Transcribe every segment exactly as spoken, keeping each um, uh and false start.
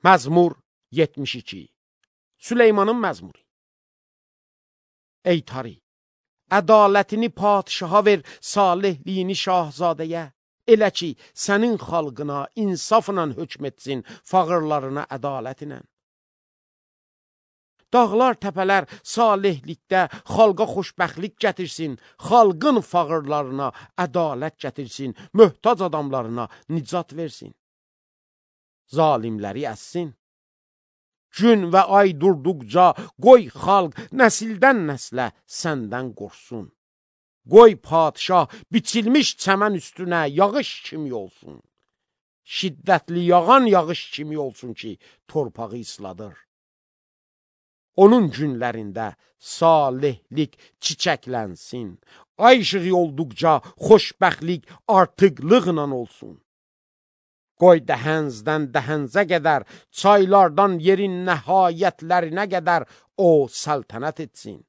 Məzmur yetmiş iki. Süleymanın məzmuru. Ey Tari, ədalətini padişaha ver, salihliyini şahzadəyə. Elə ki, sənin xalqına insafla hökm etsin, fağırlarına ədalətlə. Dağlar, təpələr salihlikdə xalqa xoşbəxtlik gətirsin, xalqın fağırlarına ədalət gətirsin, möhtac adamlarına nicat versin. Zalimləri əssin. Gün və ay durduqca qoy xalq nəsildən nəslə səndən qorxsun. Qoy padişah biçilmiş çəmən üstünə yağış kimi olsun. Şiddətli yağan yağış kimi olsun ki, torpağı isladır. Onun günlərində salihlik çiçəklənsin. Ay işığı olduqca xoşbəxtlik artıqlıqla olsun. Qoy dəhəncdən dəhəncə qədər, çaylardan yerin nəhayətlərinə qədər o səltənət etsin.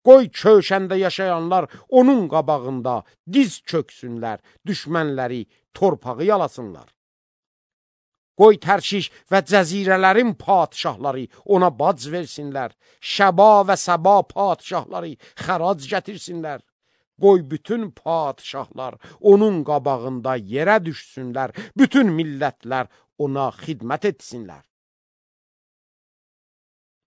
Qoy köşəndə yaşayanlar onun qabağında diz çöksünlər, düşmənləri torpağı yalasınlar. Qoy Tərşiş və cəzirələrin padişahları ona bac versinlər, Şəba və Səba padişahları xərac gətirsinlər. Qoy bütün padişahlar onun qabağında yerə düşsünlər, bütün millətlər ona xidmət etsinlər.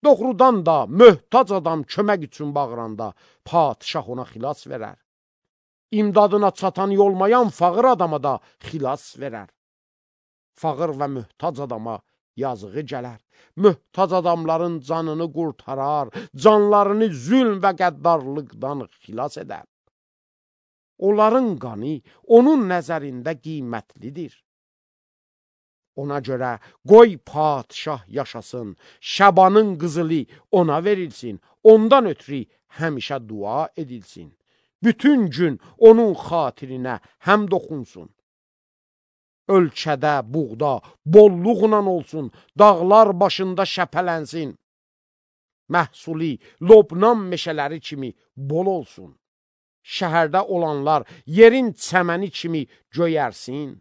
Doğrudan da möhtac adam kömək üçün bağıranda padişah ona xilas verər. İmdadına çatan olmayan fağır adama da xilas verər. Fağır və möhtac adama yazığı gələr. Möhtac adamların canını qurtarar, canlarını zülm və qəddarlıqdan xilas edər. Onların qanı onun nəzərində qiymətlidir. Ona görə qoy padişah yaşasın, Şəbanın qızılı ona verilsin, ondan ötürü həmişə dua edilsin. Bütün gün onun xatirinə həmd oxunsun. Ölkədə, buğda, bolluqla olsun, dağlar başında şəpələnsin. Məhsuli, Lobnan meşələri kimi bol olsun. Şəhərdə olanlar yerin çəməni kimi göyərsin.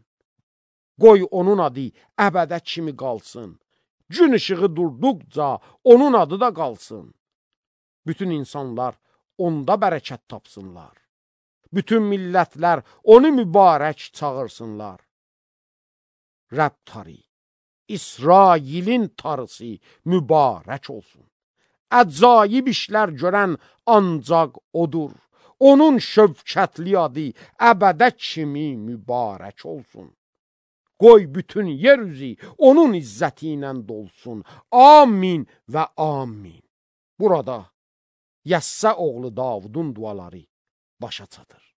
Qoy onun adı əbədə kimi qalsın. Gün işığı durduqca onun adı da qalsın. Bütün insanlar onda bərəkət tapsınlar. Bütün millətlər onu mübarək çağırsınlar. Rəbb Tari, İsrailin tarısı mübarək olsun. Əcaib işlər görən ancaq odur. Onun şövkətli adı əbədə kimi mübarək olsun. Qoy bütün yer üzü onun izzəti ilə dolsun. Amin və amin. Burada Yəssə oğlu Davudun duaları başa çatır.